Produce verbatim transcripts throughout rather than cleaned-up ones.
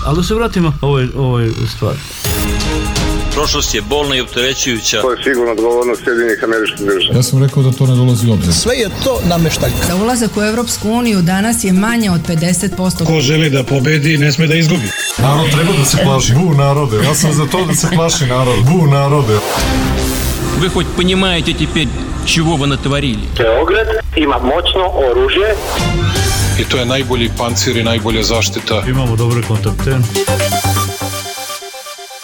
Ali da se vratimo ovoj, ovoj stvari. Prošlost je bolna i opterećujuća. To je sigurno odgovornost Sjedinjenih Američkih Država. Ja sam rekao da to ne dolazi u obzir. Sve je to nameštaljka. Za ulazak u Evropsku uniju danas je manje od pedeset posto. Ko želi da pobedi, ne sme da izgubi. Narod treba da se plaši. Bu narode. Ja sam za to da se plaši narod. Bu narode. Вы хоть понимаете теперь, чего вы натворили? Beograd ima moćno oružje. I to je najbolji pancir i najbolja zaštita. Imamo dobre kontakte.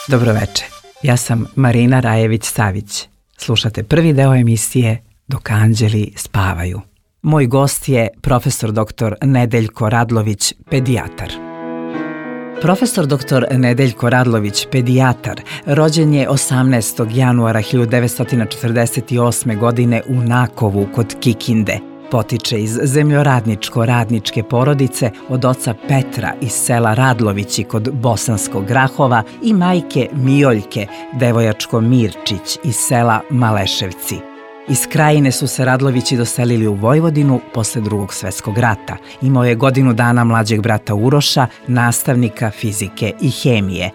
Dobroveče. Ja sam Marina Rajević-Savić. Slušate prvi deo emisije Dok anđeli spavaju. Moj gost je profesor doktor Nedeljko Radlović, pedijatar. Profesor doktor Nedeljko Radlović, pedijatar, rođen je osamnaestog januara hiljadu devetsto četrdeset osme. godine u Nakovu kod Kikinde. Potiče iz zemljoradničko-radničke porodice od oca Petra iz sela Radlovići kod Bosanskog Grahova i majke Mijoljke, devojačko Mirčić iz sela Maleševci. Iz Krajine su se Radlovići doselili u Vojvodinu posle Drugog svetskog rata. Imao je godinu dana mlađeg brata Uroša, nastavnika fizike i hemije.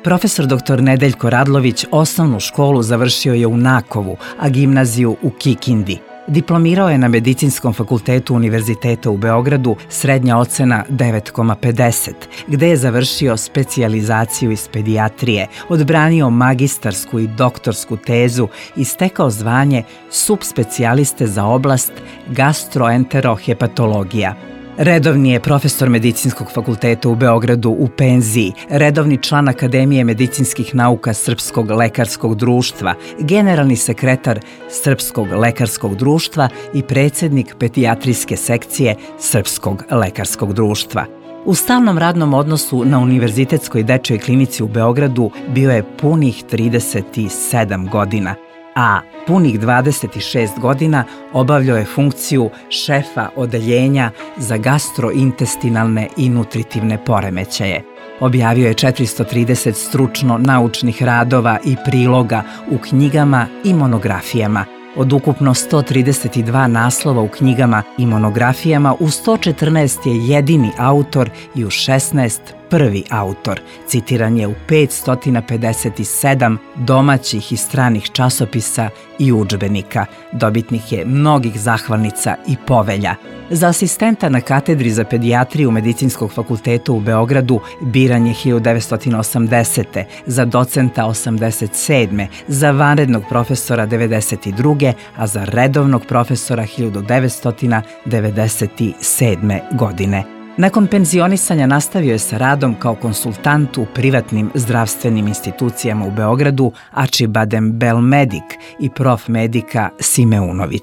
Profesor doktor Nedeljko Radlović osnovnu školu završio je u Nakovu, a gimnaziju u Kikindi. Diplomirao je na Medicinskom fakultetu Univerziteta u Beogradu, srednja ocena devet zarez pedeset, gde je završio specijalizaciju iz pedijatrije, odbranio magistarsku i doktorsku tezu i stekao zvanje subspecijaliste za oblast gastroenterohepatologija. Redovni je profesor Medicinskog fakulteta u Beogradu u penziji, redovni član Akademije medicinskih nauka Srpskog lekarskog društva, generalni sekretar Srpskog lekarskog društva i predsjednik pedijatrijske sekcije Srpskog lekarskog društva. U stalnom radnom odnosu na Univerzitetskoj dečjoj klinici u Beogradu bio je punih trideset sedam godina, a punih dvadeset šest godina obavljao je funkciju šefa odeljenja za gastrointestinalne i nutritivne poremećaje. Objavio je četiristo trideset stručno-naučnih radova i priloga u knjigama i monografijama. Od ukupno sto trideset dva naslova u knjigama i monografijama, u sto četrnaest je jedini autor i u šesnaest prvi autor. Citiran je u petsto pedeset sedam domaćih i stranih časopisa i udžbenika. Dobitnik je mnogih zahvalnica i povelja. Za asistenta na katedri za pedijatriju Medicinskog fakulteta u Beogradu biran je hiljadu devetsto osamdesete. Za docenta osamdeset sedme. Za vanrednog profesora devedeset druge. a za redovnog profesora hiljadu devetsto devedeset sedme. godine. Nakon penzionisanja nastavio je sa radom kao konsultant u privatnim zdravstvenim institucijama u Beogradu Acibadem Belmedik i Prof. Medika Simeunović.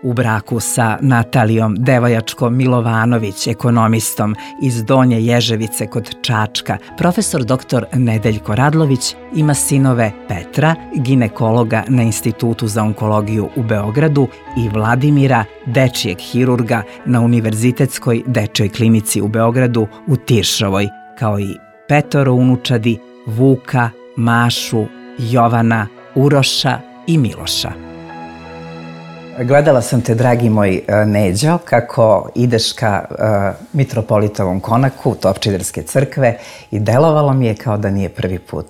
U braku sa Natalijom Devojačko-Milovanović, ekonomistom iz Donje Ježevice kod Čačka, profesor doktor Nedeljko Radlović ima sinove Petra, ginekologa na Institutu za onkologiju u Beogradu, i Vladimira, dečijeg hirurga na Univerzitetskoj dečjoj klinici u Beogradu u Tiršovoj, kao i petoro unučadi Vuka, Mašu, Jovana, Uroša i Miloša. Gledala sam te, dragi moj Neđo, kako ideš ka uh, Mitropolitovom konaku Topčiderske crkve i delovalo mi je kao da nije prvi put.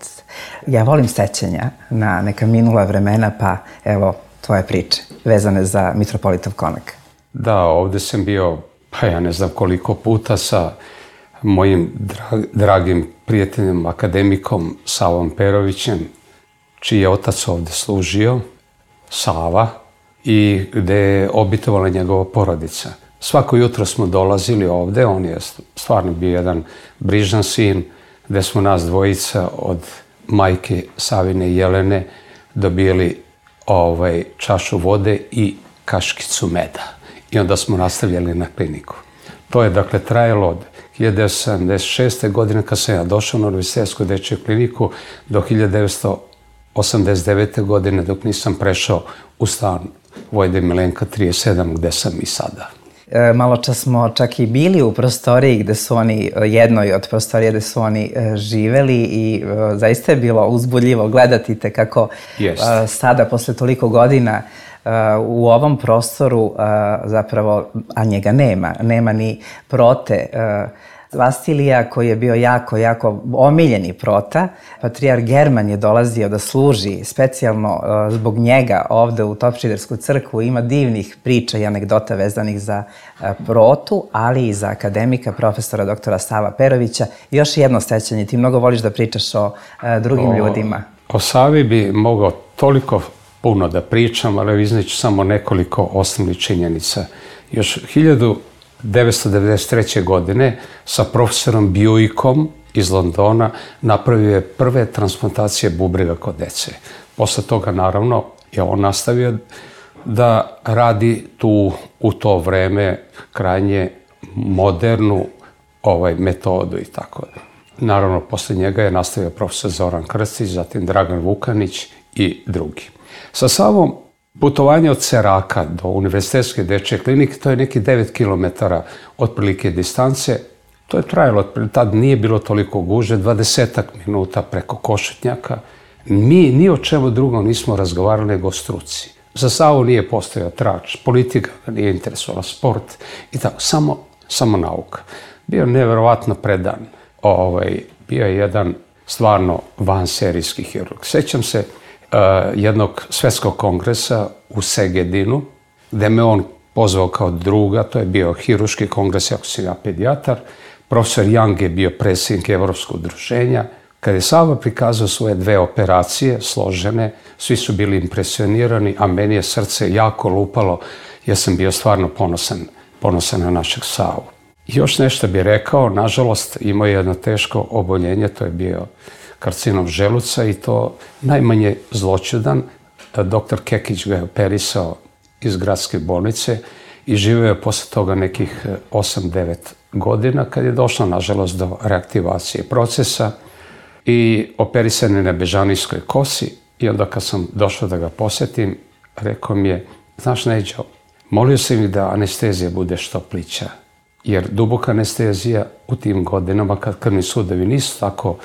Ja volim sećanja na neka minula vremena, pa evo tvoje priče vezane za Mitropolitov konak. Da, ovde sam bio, pa ja ne znam koliko puta, sa mojim drag, dragim prijateljem, akademikom Savom Perovićem, čiji je otac ovde služio, Sava, i gde je obitovala njegova porodica. Svako jutro smo dolazili ovde, on je stvarno bio jedan brižan sin, gde smo nas dvojica od majke Savine i Jelene dobili ovaj, čašu vode i kaškicu meda. I onda smo nastavljali na kliniku. To je dakle trajalo od hiljadu devetsto sedamdeset šeste. godine kad sam ja došao na Univerzitetsku dečju kliniku do hiljadu devetsto osamdeset devete. godine dok nisam prešao u stan Vojde Milenka trideset sedam, gde sam i sada. E, malo čas smo čak i bili u prostoriji gde su oni, jednoj od prostorija gde su oni e, živeli i e, zaista je bilo uzbudljivo gledati te kako e, sada, posle toliko godina, e, u ovom prostoru e, zapravo, a njega nema, nema ni Prote, e, Vasilija, koji je bio jako, jako omiljeni prota. Patrijar German je dolazio da služi specijalno zbog njega ovde u Topčidersku crkvu. Ima divnih priča i anegdota vezanih za protu, ali i za akademika, profesora doktora Sava Perovića. Još jedno sećanje, ti mnogo voliš da pričaš o drugim o, ljudima. O Savi bi mogao toliko puno da pričam, ali izneću samo nekoliko osnovnih činjenica. Još hiljadu devetsto devedeset treće. godine sa profesorom Buickom iz Londona napravio je prve transplantacije bubrega kod dece. Posle toga, naravno, je on nastavio da radi tu u to vreme krajnje modernu ovaj, metodu i tako da. Naravno, posle njega je nastavio profesor Zoran Krstić, zatim Dragan Vukanić i drugi. Sa Savom putovanje od Seraka do Univerzitetske dečje klinike, to je neki devet kilometara otprilike distance. To je trajalo, tad nije bilo toliko gužve, dvadesetak minuta preko Košutnjaka. Mi ni o čemu drugom nismo razgovarali nego o struci. Za Savu nije postojao trač, politika ga nije interesovala, sport i tako, samo, samo nauka. Bio neverovatno predan. Ovaj, bio je jedan stvarno vanserijski hirurg. Sećam se uh, jednog svetskog kongresa u Segedinu, gde me on pozvao kao druga, to je bio hirurški kongres, ako sam ja pedijatar. Profesor Young je bio predsjednik Evropskog udruženja. Kada je Sava prikazao svoje dve operacije, složene, svi su bili impresionirani, a meni je srce jako lupalo, jer sam bio stvarno ponosan, ponosan na našeg Savu. Još nešto bih rekao, nažalost, imao je jedno teško oboljenje, to je bio karcinom želuca i to najmanje zloćudan. Doktor Kekić ga je operisao iz gradske bolnice i živio je posle toga nekih osam devet godina, kad je došlo, nažalost, do reaktivacije procesa i operisan je na bežanijskoj kosi. I onda kad sam došao da ga posjetim, rekao mi je, znaš Neđo, molio sam ih da anestezija bude što plića, jer duboka anestezija u tim godinama, kad krvni sudovi nisu tako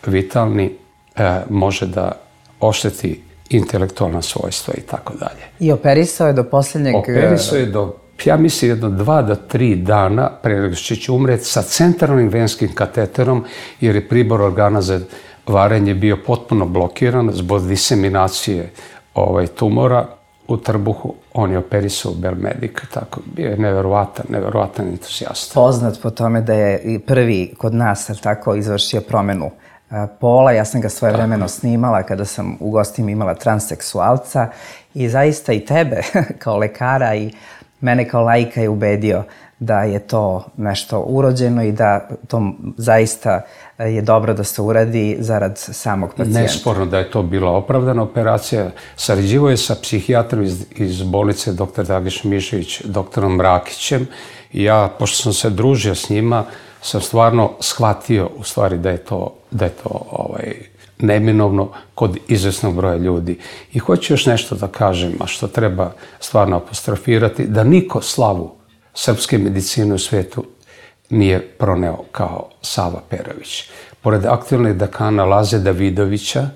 vitalni, e, može da ošteti intelektualna svojstva i tako dalje. I operisao je do posljednjeg... Operisao je do, ja mislim, jedno dva do tri dana pre nego što će umreti sa centralnim venskim kateterom, jer je pribor organa za varenje bio potpuno blokiran zbog diseminacije ovaj, tumora u trbuhu. On je operisao u Belmedic, tako bio je neverovatan, neverovatan entuzijasta. Poznat po tome da je prvi kod nas, tako, izvršio promenu pola. Ja sam ga svojevremeno snimala kada sam u gostima imala transseksualca i zaista i tebe kao lekara i mene kao laika je ubedio da je to nešto urođeno i da to zaista je dobro da se uradi zarad samog pacijenta. Nesporno da je to bila opravdana operacija. Sarađivao je sa psihijatrom iz, iz bolnice doktor Dragiš Mišević, doktorom Rakićem. I ja, pošto sam se družio s njima, sam stvarno shvatio u stvari da je to, da je to ovaj, neminovno kod izvesnog broja ljudi. I hoću još nešto da kažem, a što treba stvarno apostrofirati, da niko slavu srpske medicine u svetu nije proneo kao Sava Perović. Pored aktualnih dekana Laze Davidovića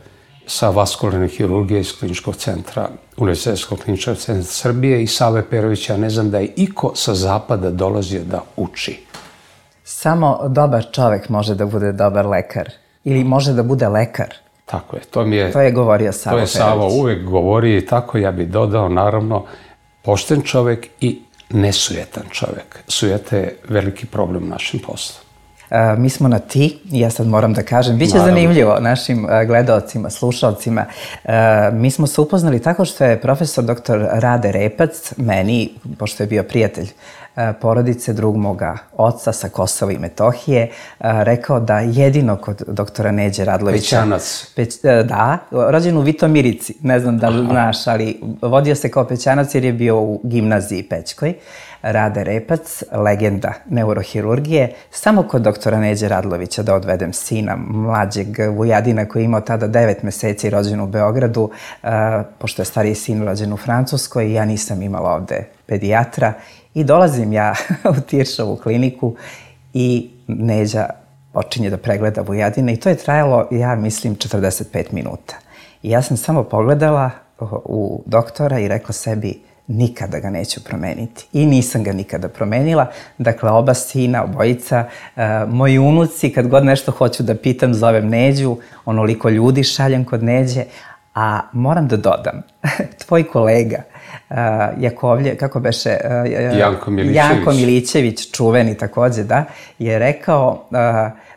sa vaskularne hirurgije iz kliničkog centra, Univerzitetskog kliničkog centra Srbije i Save Perovića, ne znam da je iko sa zapada dolazio da uči. Samo dobar čovek može da bude dobar lekar ili može da bude lekar. Tako je. To mi je... To je govorio Savo Perović. To je Savo uvek govori i tako ja bih dodao, naravno, pošten čovek i nesujetan čovek. Sujeta je veliki problem u našem poslu. Uh, mi smo na ti, ja sad moram da kažem, bit će Naravno. zanimljivo našim uh, gledaocima, slušalcima. Uh, mi smo se upoznali tako što je profesor doktor Rade Repac, meni, pošto je bio prijatelj uh, porodice, drug moga oca sa Kosova i Metohije, uh, rekao da jedino kod doktora Neđe Radlovića... Pećanac. Peć, uh, da, rođen u Vitomirici, ne znam da li znaš, ali vodio se kao Pećanac jer je bio u gimnaziji Pećkoj. Rade Repac, legenda neurohirurgije, samo kod doktora Neđe Radlovića da odvedem sina, mlađeg Vujadina koji je imao tada devet meseci rođen u Beogradu, uh, pošto je stariji sin rođen u Francuskoj i ja nisam imala ovde pedijatra i dolazim ja u Tiršovu kliniku i Neđa počinje da pregleda Vujadina i to je trajalo, ja mislim, četrdeset pet minuta. I ja sam samo pogledala u doktora i rekla sebi, nikada ga neću promeniti. I nisam ga nikada promenila. Dakle, oba sina, obojica, uh, moji unuci, kad god nešto hoću da pitam, zovem Neđu, onoliko ljudi šaljem kod Neđe, a moram da dodam, tvoj kolega, uh, Jakovlje, kako beše? Uh, Janko Milićević. Janko Milićević, čuveni takođe, da, je rekao uh,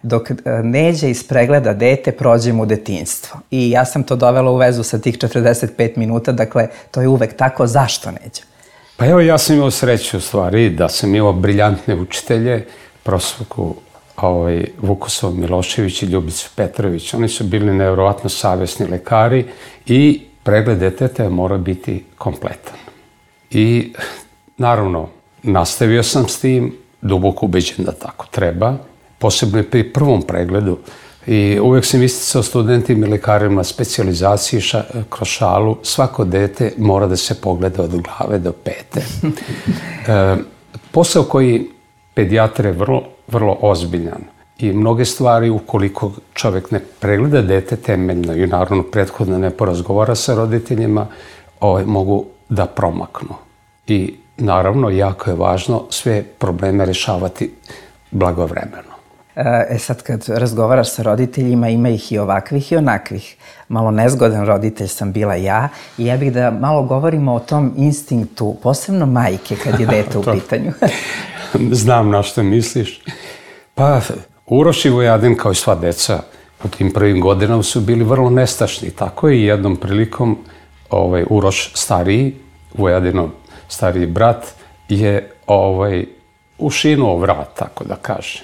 dok Neđe ispregleda dete, prođemo u detinjstvo. I ja sam to dovela u vezu sa tih četrdeset pet minuta, dakle, to je uvek tako. Zašto, Neđe? Pa evo, ja sam imao sreću u stvari da sam imao briljantne učitelje, profesorku ovaj, Vukosov Milošević i Ljubicu Petrović. Oni su bili nevjerovatno savjesni lekari i pregled deteta mora biti kompletan. I naravno, nastavio sam s tim, duboko ubeđen da tako treba, posebno i pri prvom pregledu. I uvek sam isticao studentima i lekarima specijalizaciji ša, kroz šalu, svako dete mora da se pogleda od glave do pete. E, posao koji pedijatra je vrlo, vrlo ozbiljan i mnoge stvari, ukoliko čovek ne pregleda dete temeljno i naravno prethodno ne porazgovara sa roditeljima, ovaj, mogu da promaknu. I naravno, jako je važno sve probleme rešavati blagovremeno. E sad, kad razgovaraš sa roditeljima, ima ih i ovakvih i onakvih. Malo nezgodan roditelj sam bila ja i ja bih da malo govorimo o tom instinktu, posebno majke kad je dete u pitanju. Znam na što misliš. Pa, Uroš i Vojadin, kao i sva deca, u tim prvim godinama su bili vrlo nestašni. Tako je i jednom prilikom ovaj, Uroš stariji, Vojadinov stariji brat, je ovaj, ušinuo vrat, tako da kažem.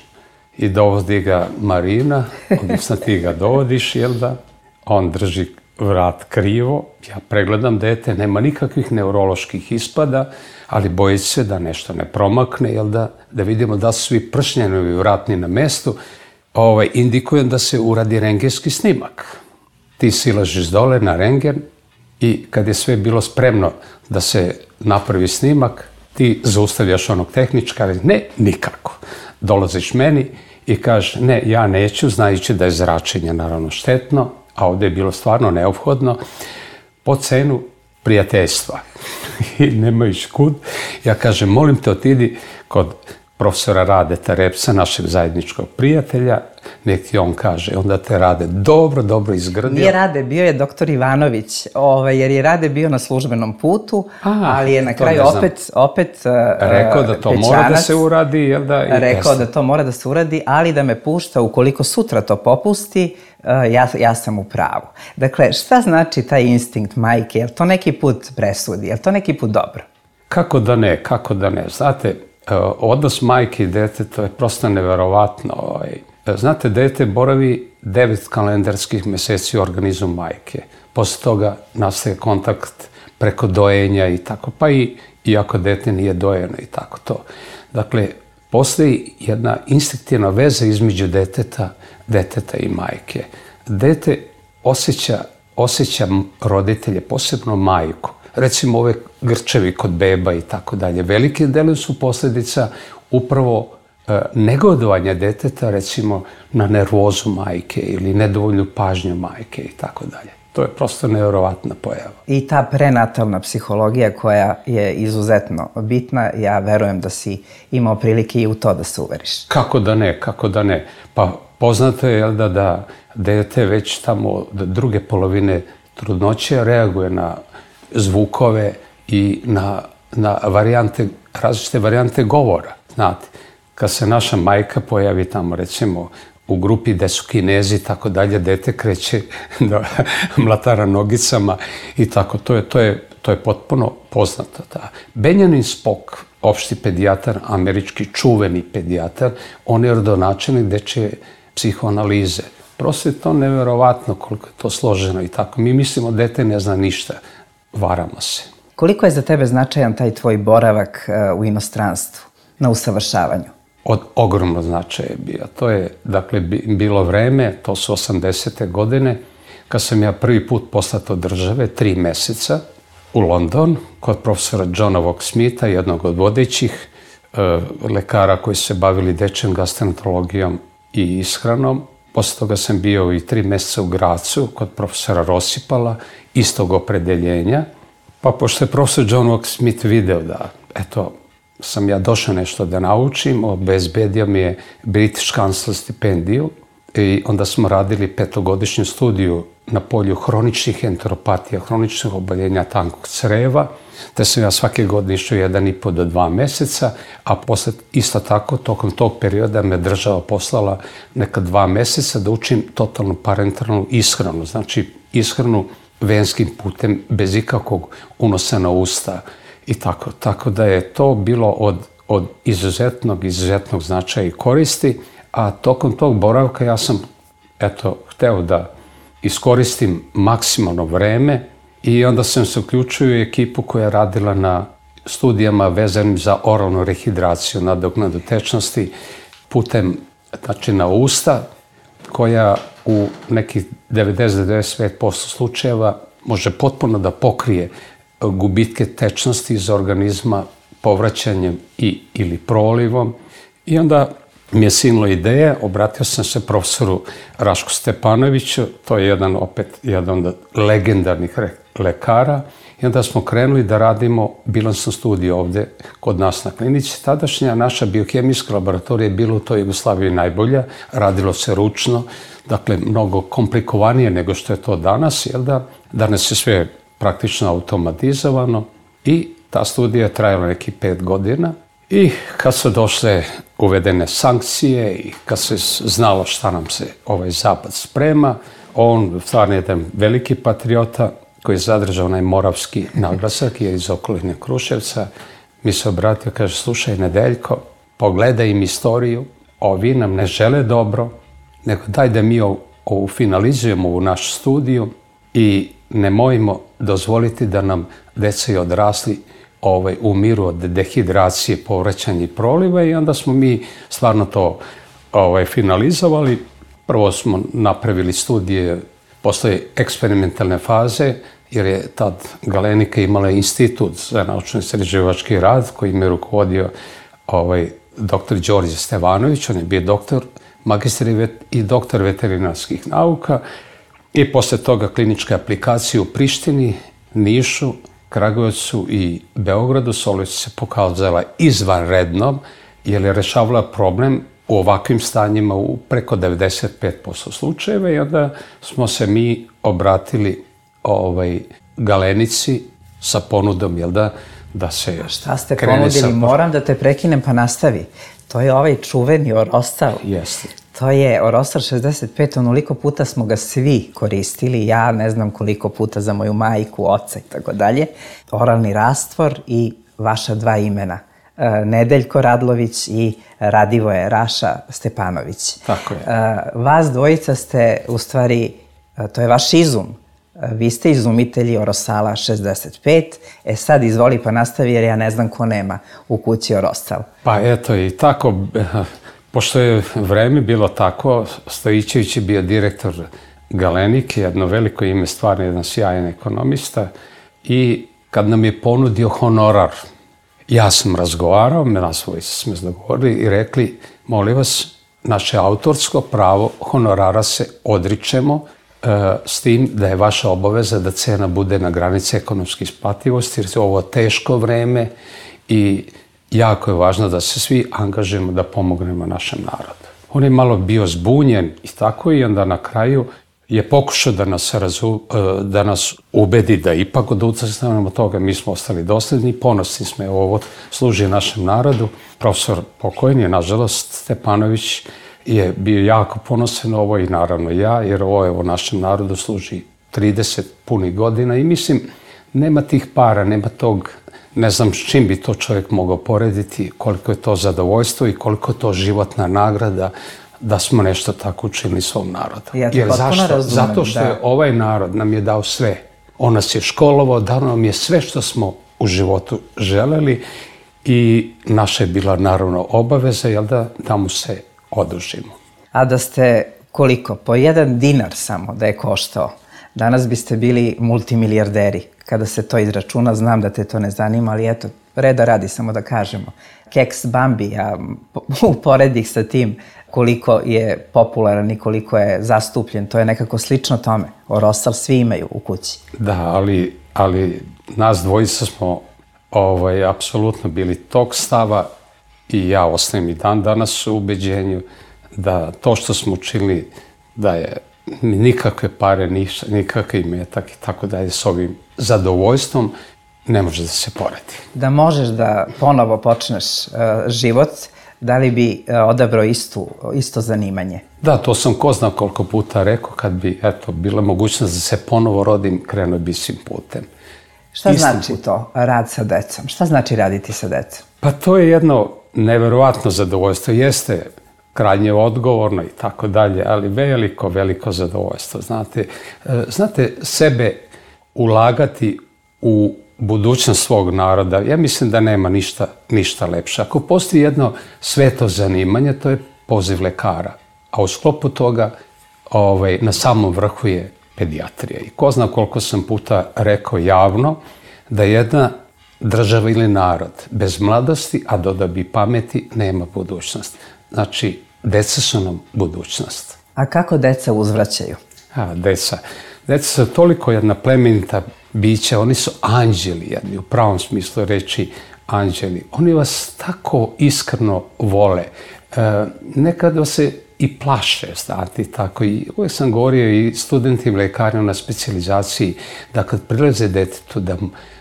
I dovodi ga Marina, odnosno ti ga dovodiš, jel da? On drži vrat krivo, ja pregledam dete, nema nikakvih neuroloških ispada, ali boji se da nešto ne promakne, jel da? Da vidimo da su svi pršnjenovi vratni na mestu, ovaj, indikujem da se uradi rengenski snimak. Ti silažiš dole na rengen i kad je sve bilo spremno da se napravi snimak, ti zaustavljaš onog tehničkara, ne, nikako. Dolaziš meni i kažeš, ne, ja neću, znajući da je zračenje naravno štetno, a ovde je bilo stvarno neophodno, po cenu prijateljstva. I nemajući kud, ja kažem, molim te, otidi kod profesora Radeta Repsa, našeg zajedničkog prijatelja, nek ti on kaže, onda te Rade dobro, dobro izgrdio. Nije Rade, bio je doktor Ivanović, ovaj, jer je Rade bio na službenom putu, A, ali je na kraju opet, opet rekao da to Pećanac, mora da se uradi, jel da? Rekao da to mora da se uradi, ali da me pušta, ukoliko sutra to popusti, ja, ja sam u pravu. Dakle, šta znači taj instinkt majke? Je li to neki put presudi? Je li to neki put dobro? Kako da ne, kako da ne. Znate, odnos majke i dete, to je prosto neverovatno. Znate, dete boravi devet kalendarskih meseci u organizmu majke. Posle toga nastaje kontakt preko dojenja i tako, pa i iako dete nije dojeno i tako to. Dakle, postoji jedna instinktivna veza između deteta, deteta i majke. Dete osjeća, osjeća roditelje, posebno majku. Recimo ove grčevi kod beba i tako dalje. Velike dele su posljedica upravo e, negodovanja deteta, recimo na nervozu majke ili nedovoljnu pažnju majke i tako dalje. To je prosto nevjerovatna pojava. I ta prenatalna psihologija koja je izuzetno bitna, ja verujem da si imao prilike i u to da se uveriš. Kako da ne, kako da ne. Pa poznato je jel da, da dete već tamo od druge polovine trudnoće reaguje na zvukove i na, na varijante, različite varijante govora. Znate, kad se naša majka pojavi tamo, recimo, u grupi gde su Kinezi i tako dalje, dete kreće da mlatara nogicama i tako. To je, to je, to je potpuno poznato. Da. Benjamin Spock, opšti pedijatar, američki čuveni pedijatar, on je rodonačelnik dečje psihoanalize. Prosto je to neverovatno koliko je to složeno i tako. Mi mislimo dete ne zna ništa. Varamo se. Koliko je za tebe značajan taj tvoj boravak u inostranstvu, na usavršavanju? Od ogromno značaja je bio. To je, dakle, bilo vreme, to su osamdesete godine, kad sam ja prvi put poslat od države, tri meseca, u London, kod profesora Johna Walk-Smitha, jednog od vodećih e, lekara koji su se bavili dečjom gastroenterologijom i ishranom. Posle toga sam bio i tri meseca u Gracu, kod profesora Rosipala, istog opredeljenja. Pa pošto je profesor John Oak Smith video da, eto, sam ja došao nešto da naučim, obezbedio mi je British Council stipendiju i onda smo radili petogodišnju studiju na polju hroničnih enteropatija, hroničnih oboljenja tankog creva, te sam ja svake godine išao jedan i po do dva meseca, a posle isto tako, tokom tog perioda me država poslala neka dva meseca da učim totalnu parenteralnu ishranu, znači ishranu venskim putem, bez ikakvog unosa na usta i tako. Tako da je to bilo od, od izuzetnog, izuzetnog značaja i koristi, a tokom tog boravka ja sam, eto, hteo da iskoristim maksimalno vreme i onda sam se uključio u ekipu koja je radila na studijama vezanim za oralnu rehidraciju, nadoknadu tečnosti putem, znači na usta, koja u nekih devedeset do devedeset pet posto slučajeva može potpuno da pokrije gubitke tečnosti iz organizma povraćanjem i, ili prolivom. I onda mi je sinula ideja, obratio sam se profesoru Rašku Stepanoviću, to je jedan opet jedan od legendarnih lekara, i onda smo krenuli da radimo bilansnu studiju ovde kod nas na klinici. Tadašnja naša biohemijska laboratorija je bila u toj Jugoslaviji najbolja, radilo se ručno, dakle mnogo komplikovanije nego što je to danas, jel da? Danas je sve praktično automatizovano i ta studija je trajala neki pet godina. I kad su došle uvedene sankcije i kad se znalo šta nam se ovaj zapad sprema, on, stvarno jedan veliki patriota koji je zadržao onaj moravski naglasak, je iz okoline Kruševca, mi se obratio, kaže, slušaj Nedeljko, pogledaj im istoriju, ovi nam ne žele dobro, nego daj da mi ovu finalizujemo ovu našu studiju i nemojmo dozvoliti da nam deca i odrasli ovaj, umiru od dehidracije, povraćanja i proliva, i onda smo mi stvarno to ovaj, finalizovali. Prvo smo napravili studije, postoje eksperimentalne faze, jer je tad Galenika imala institut za naučno-istraživački rad koji me rukovodio ovaj, doktor Đorđe Stevanović, on je bio doktor, magistar i doktor veterinarskih nauka, i posle toga kliničke aplikacije u Prištini, Nišu, Kragujevcu i Beogradu. Solica se pokazala izvanrednom, jer je rešavala problem u ovakvim stanjima u preko devedeset pet posto slučajeva, i onda smo se mi obratili ovaj, Galenici sa ponudom, jel da, da se Šta ste ponudili? Sa... Moram da te prekinem, pa nastavi. To je ovaj čuveni Orostal. Jeste. To je Orostal šezdeset pet, onoliko puta smo ga svi koristili, ja ne znam koliko puta za moju majku, oca i tako dalje. Oralni rastvor i vaša dva imena, Nedeljko Radlović i Radivoje Raša Stepanović. Tako je. Vas dvojica ste, u stvari, to je vaš izum. Vi ste izumitelji Orostala šezdeset pet. E sad izvoli pa nastavi, jer ja ne znam ko nema u kući Orostal. Pa eto i tako, pošto je vreme bilo tako, Stojićević je bio direktor Galenike, jedno veliko ime, stvarno jedan sjajan ekonomista, i kad nam je ponudio honorar, ja sam razgovarao, nas dvojica smo se dogovorili i rekli, molim vas, naše autorsko pravo honorara se odričemo, s tim da je vaša obaveza da cena bude na granici ekonomske isplativosti, jer je ovo teško vreme i jako je važno da se svi angažujemo da pomognemo našem narodu. On je malo bio zbunjen i tako, i onda na kraju je pokušao da nas, razu, da nas ubedi da ipak odustanemo od toga. Mi smo ostali dosledni, ponosni smo, ovo služi našem narodu. Profesor pokojni, nažalost, Stepanović, je bio jako ponosan na ovo, i naravno ja, jer ovo je o našem narodu služi trideset punih godina, i mislim, nema tih para, nema tog, ne znam s čim bi to čovjek mogao porediti, koliko je to zadovoljstvo i koliko je to životna nagrada da smo nešto tako učinili svom narodu. Ja jer zašto? Razumem, zato što da. je ovaj narod nam je dao sve. On nas je školovao, dao nam je sve što smo u životu želeli, i naša je bila naravno obaveza, jel da, da mu se odužimo. A da ste koliko? Po jedan dinar samo da je koštao, danas biste bili multimilijarderi. Kada se to izračuna, znam da te to ne zanima, ali eto, reda radi, samo da kažemo. Keks Bambi, ja uporedih sa tim koliko je popularan i koliko je zastupljen, to je nekako slično tome. Orostal svi imaju u kući. Da, ali ali nas dvojica smo ovaj, apsolutno bili tog stava i ja ostajem i dan danas u ubeđenju da to što smo učinili da je nikakve pare, ništa, nikakav imetak i tako dalje s ovim zadovoljstvom ne može da se poredi. Da možeš da ponovo počneš uh, život, da li bi uh, odabrao istu, isto zanimanje? Da, to sam ko zna koliko puta rekao, kad bi eto, bila mogućnost da se ponovo rodim, krenuo bi svim putem. Šta Istim znači putem. to, rad sa decom? Šta znači raditi sa decom? Pa to je jedno neverovatno zadovoljstvo. Jeste krajnje odgovorno i tako dalje, ali veliko, veliko zadovoljstvo. Znate, znate, sebe ulagati u budućnost svog naroda, ja mislim da nema ništa, ništa lepše. Ako postoji jedno sveto zanimanje, to je poziv lekara. A u sklopu toga ovaj, na samom vrhu je pedijatrija. I ko zna koliko sam puta rekao javno da jedna država ili narod bez mladosti, a dodao bi pameti, nema budućnost. Znači, deca su nam budućnost. A kako deca uzvraćaju? A, deca. Deca su toliko jedna plemenita bića, oni su anđeli jedni, u pravom smislu reči anđeli. Oni vas tako iskreno vole. E, nekada se i plaše, znate, tako. I uvijek sam govorio i studentima lekarima na specijalizaciji da kad prilaze detetu, da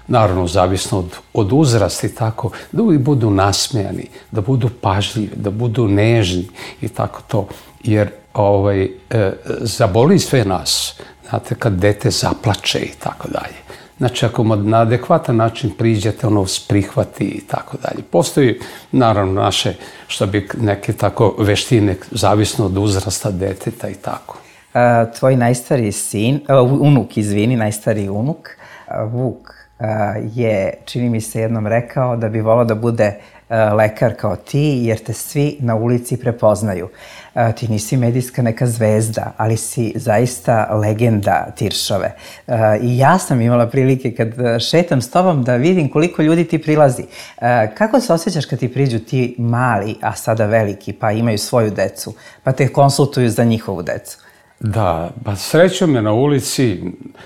naravno zavisno od, od uzrasta i tako, da uvijek budu nasmejani, da budu pažljivi, da budu nežni i tako to. Jer ovaj, e, zaboli sve nas, znate, kad dete zaplače i tako dalje. Znači, ako na adekvatan način priđete, ono prihvati i tako dalje. Postoji, naravno, naše, što bi neke tako veštine, zavisno od uzrasta deteta i tako. A, tvoj najstariji sin, a, unuk, izvini, najstariji unuk, a, Vuk, a, je, čini mi se, jednom rekao da bi volao da bude a, lekar kao ti, jer te svi na ulici prepoznaju. A, ti nisi medijska neka zvezda, ali si zaista legenda Tiršove. A, I ja sam imala prilike kad šetam s tobom da vidim koliko ljudi ti prilazi. A, kako se osjećaš kad ti priđu ti mali, a sada veliki, pa imaju svoju decu, pa te konsultuju za njihovu decu? Da, pa srećom je na ulici,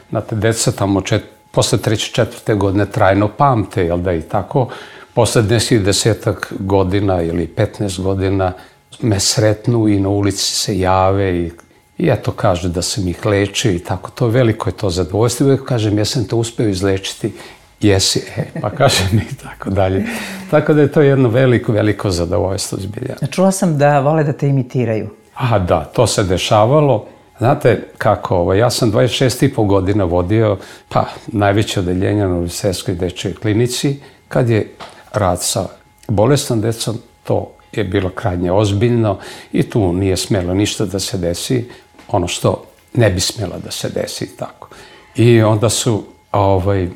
znate, deca tamo čet, posle treće, četvrte godine trajno pamte, jel da i tako, posle deset, desetak godina ili petnaest godina me sretnu i na ulici se jave i, i eto kažu da sam ih lečio i tako, to veliko je to zadovoljstvo. Uvijek kažem, jesam te uspeo izlečiti, jesi, e, pa kažem i tako dalje. Tako da je to jedno veliko, veliko zadovoljstvo zbilja. Čula sam da vole da te imitiraju. A da, to se dešavalo. Znate kako, ovo, ja sam dvadeset šest i po godina vodio pa, najveće odeljenje na Univerzitetskoj dečjoj klinici. Kad je rad sa bolesnom decom, to je bilo krajnje ozbiljno i tu nije smjelo ništa da se desi, ono što ne bi smjelo da se desi. Tako. I onda su ovaj,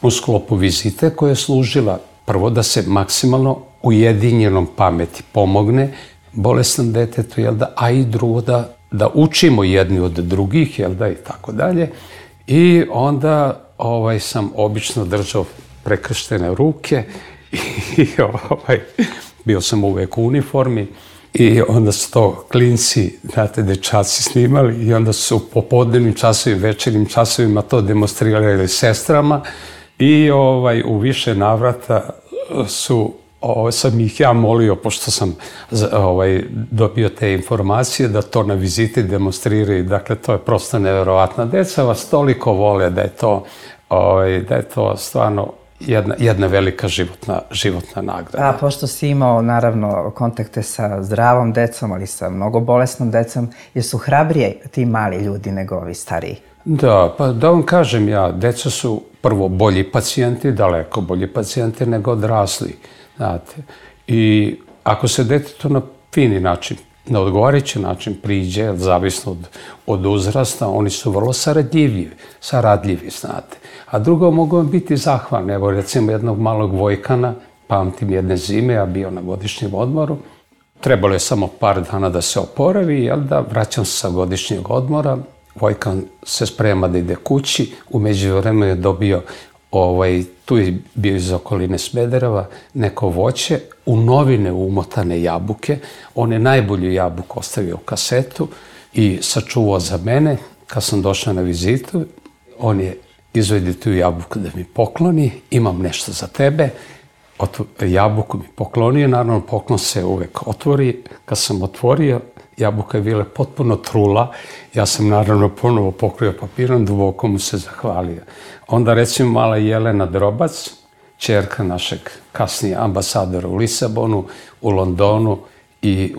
u sklopu vizite koja je služila prvo da se maksimalno ujedinjenom pameti pomogne bolesnom detetu, jel da, a i drugo da da učimo jedni od drugih, jel da, i tako dalje. I onda ovaj, sam obično držao prekrštene ruke i ovaj, bio sam uvek u uniformi i onda su to klinci, znate, dečaci snimali i onda su u popodnevnim časovima, večernjim časovima to demonstrirali sestrama i ovaj, u više navrata su Ovo, sam ih ja molio, pošto sam ovaj, dobio te informacije, da to na viziti demonstriraju. Dakle, to je prosto neverovatno. Deca vas toliko vole da je to, ovaj, da je to stvarno jedna, jedna velika životna, životna nagrada. A pošto si imao, naravno, kontakte sa zdravom decom, ali sa mnogo bolesnom decom, jesu hrabrije ti mali ljudi nego ovi stariji? Da, pa da vam kažem ja, deca su prvo bolji pacijenti, daleko bolji pacijenti nego odrasli. Znate, i ako se detetu na fini način, na odgovarajući način priđe, zavisno od, od uzrasta, oni su vrlo saradljivi, saradljivi, znate. A drugo, mogu vam biti zahvalni. Evo, recimo, jednog malog Vojkana, pamtim jedne zime, ja bio na godišnjem odmoru, trebalo je samo par dana da se oporavi, jel da, vraćam se sa godišnjeg odmora, Vojkan se sprema da ide kući, u međuvremenu je dobio Ovaj, tu je bio iz okoline Smedereva, neko voće, u novine umotane jabuke. On je najbolju jabuku ostavio u kasetu i sačuvao za mene. Kad sam došao na vizitu, on je izvedi tu jabuku da mi pokloni, imam nešto za tebe. Otvo, jabuku mi poklonio, naravno poklon se uvek otvori. Kad sam otvorio, jabuka je bila potpuno trula. Ja sam naravno ponovo pokrio papirom, duboko mu se zahvalio. Onda recimo mala Jelena Drobac, ćerka našeg kasnije ambasadora u Lisabonu, u Londonu i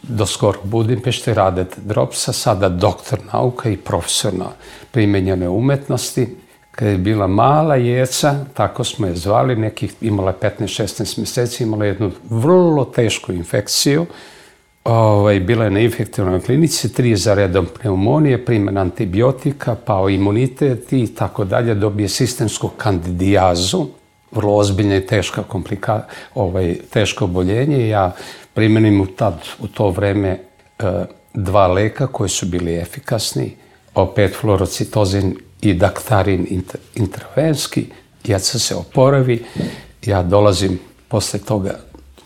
do skoro Budimpešte, Radeta Dropsa, sada doktor nauka i profesor na primenjene umetnosti. Kada je bila mala jeca, tako smo je zvali, nekih, imala petnaest šesnaest meseci, imala jednu vrlo tešku infekciju. Ovaj, bila je na infektivnoj klinici, tri za redom pneumonije, primjena antibiotika, pao imunitet i tako dalje, dobije sistemsku kandidijazu, vrlo ozbiljna i teška komplika, ovaj, teško oboljenje. Ja primenim u, tad, u to vreme e, dva leka koji su bili efikasni, opet fluorocitozin i daktarin intravenski. Jeca se oporavi, ja dolazim posle toga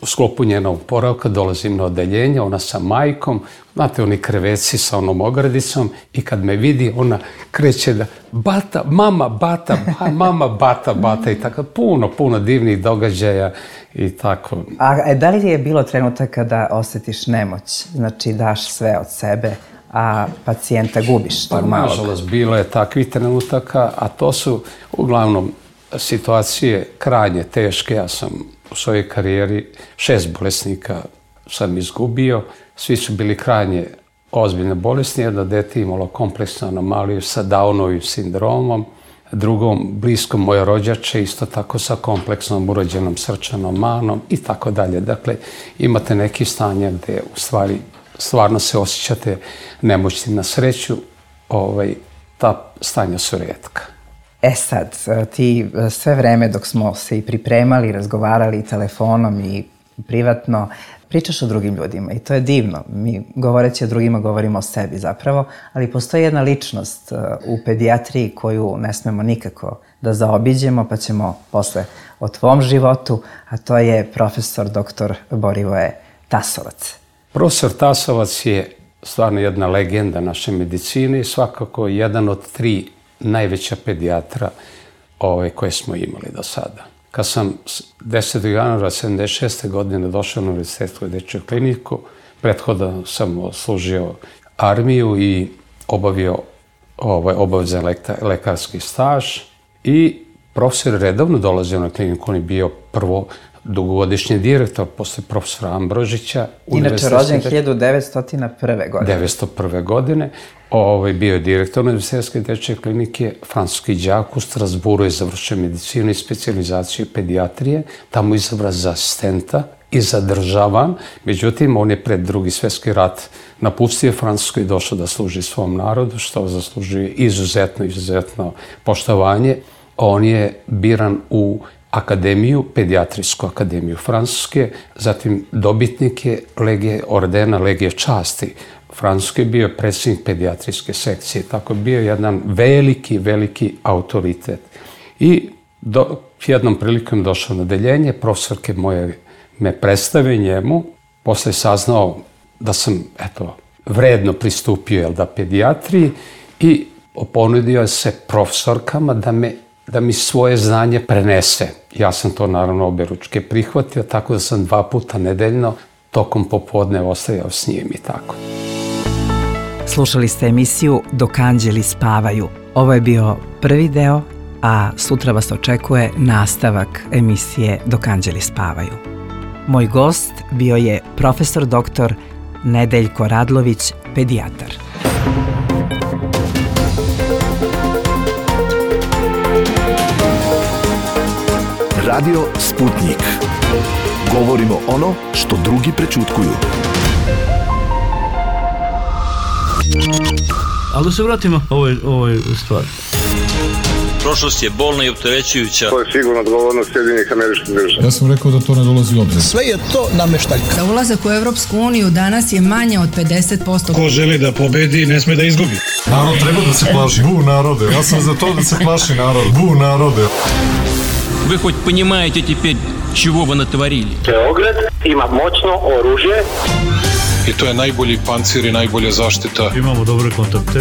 u sklopu njenog oporavka, dolazim na odeljenje, ona sa majkom, znate, oni kreveci sa onom ogradicom i kad me vidi, ona kreće da bata, mama, bata, ba, mama, bata, bata i tako, puno, puno divnih događaja i tako. A da li je bilo trenutaka da osjetiš nemoć, znači daš sve od sebe, a pacijenta gubiš tog pa, malog? Nažalost, bilo je takvih trenutaka, a to su uglavnom situacije krajnje teške. Ja sam u svojoj karijeri šest bolesnika sam izgubio. Svi su bili krajnje ozbiljne bolesni. Jedno dete imalo kompleksnu anomaliju sa Downovim sindromom. Drugom, bliskom moje rođače, isto tako sa kompleksnom urođenom srčanom manom i tako dalje. Dakle, imate neki stanja gde u stvari stvarno se osjećate nemoćni. Na sreću, ovaj, ta stanja su retka. E sad, ti sve vreme dok smo se i pripremali, razgovarali telefonom i privatno, pričaš o drugim ljudima i to je divno. Mi govoreći o drugima govorimo o sebi zapravo, ali postoji jedna ličnost u pedijatriji koju ne smemo nikako da zaobiđemo, pa ćemo posle o tvom životu, a to je profesor doktor Borivoje Tasovac. Profesor Tasovac je stvarno jedna legenda naše medicine i svakako jedan od tri najveća pedijatra ove, koje smo imali do sada. Kad sam desetog januara sedamdeset šeste godine došao na Univerzitetsku dečju kliniku, prethodno sam služio armiju i obavio ovaj, obavezan lekarski staž i profesor redovno dolazio na kliniku. On je bio prvo dugogodišnji direktor posle profesora Ambrožića. Inače rođen hiljadu devetsto prve. godine. devetsto prve. godine. Ovaj, bio je direktor Univerzitetske dečje klinike, francuski đak u Strasburu je završio medicinu i specijalizaciju pedijatrije. Tamo izabran za asistenta i zadržavan. Međutim, on je pred Drugi svjetski rat napustio Francusku i došao da služi svom narodu, što zaslužuje izuzetno, izuzetno poštovanje. On je biran u akademiju, pedijatrijsku akademiju Francuske, zatim dobitnik je legije, ordena Legije časti Francuske, bio je predsjednik pedijatrijske sekcije, tako je bio jedan veliki, veliki autoritet. I do, jednom prilikom došao na odeljenje, profesorke moje me predstave njemu, posle saznao da sam, eto, vredno pristupio, jel da, pedijatriji i ponudio se profesorkama da me da mi svoje znanje prenese. Ja sam to naravno oberučke prihvatio, tako da sam dva puta nedeljno tokom popodne ostajao s njim i tako. Slušali ste emisiju Dok anđeli spavaju. Ovo je bio prvi deo, a sutra vas očekuje nastavak emisije Dok anđeli spavaju. Moj gost bio je profesor doktor Nedeljko Radlović, pedijatar. Radio Sputnik. Govorimo ono što drugi prećutkuju. Ali da se vratimo ovoj, ovoj stvari. Prošlost je bolna i opterećujuća. To je sigurno odgovornost Sjedinjenih Američkih Država. Ja sam rekao da to ne dolazi u obzir. Sve je to nameštaljka. Za ulazak u Evropsku uniju danas je manje od pedeset posto. Ko želi da pobedi, ne sme da izgubi. Narod treba da se plaši. Bu narode. Ja sam za to da se plaši narod. Bu narode. Вы хоть понимаете теперь, чего вы натворили? Beograd ima moćno oružje. I to je najbolji pancir i najbolja zaštita. Imamo dobre kontakte.